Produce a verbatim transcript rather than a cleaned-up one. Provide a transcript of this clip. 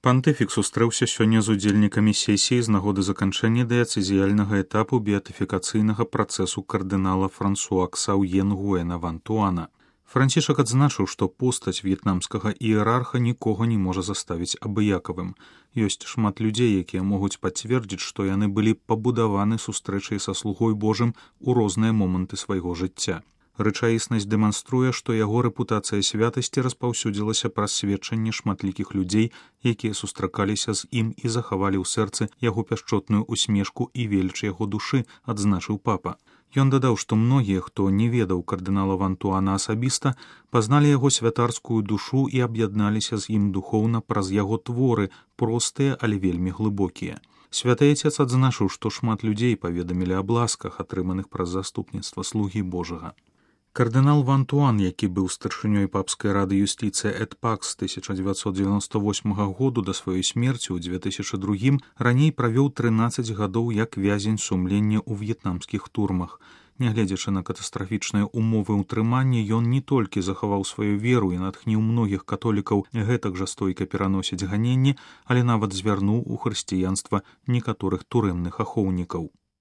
Пантыфік сустрэўся сёння з удзельнікамі сесіі з нагоды заканчэння дыяцэзіяльнага этапу беатыфікацыйнага працэсу кардынала Франсуа Ксаўе Нгуэна Ван-Туана. Францішак адзначыў, што постаць в'етнамскага іерарха нікога не можа заставіць абыякавым. Ёсць шмат людзей, якія могуць пацвердзіць, што яны былі пабудаваны сустрэчай са слугой Божым у розныя моманты свайго жыцця. Рэчаіснасць дэманструе, што яго рэпутацыя святасці распаўсюдзілася праз сведчанне шматлікіх людзей, якія сустракаліся з ім і захавалі ў сэрцы яго пяшчотную усмешку і веліч яго душы, адзначыў папа. Ён дадаў, што многія, хто не ведаў кардынала Ван-Туана асабіста, пазналі яго святарскую душу і аб'ядналіся з ім духоўна праз яго творы, простыя, але вельмі глыбокія. Святы Отец адзначыў, што шмат людзей паведамілі аб ласках, атрыманых праз заступніцтва слугі Божага. Кардынал Ван-Туан, які быў старшынёй папскай рады юстыцыі эт пакс з тысяча дзевяцьсот дзевяноста восьмага году да сваёй смерці ў дзве тысячы другім, раней правёў трынаццаць гадоў як вязень сумлення ў в'етнамскіх турмах. Нягледзячы на катастрафічныя ўмовы ўтрымання, ён не толькі захаваў сваю веру і натхніў многіх католікаў гэтак жа стойка пераносіць ганенні, але нават звярнуў у хрысціянства некаторых турэмных ахоўнікаў.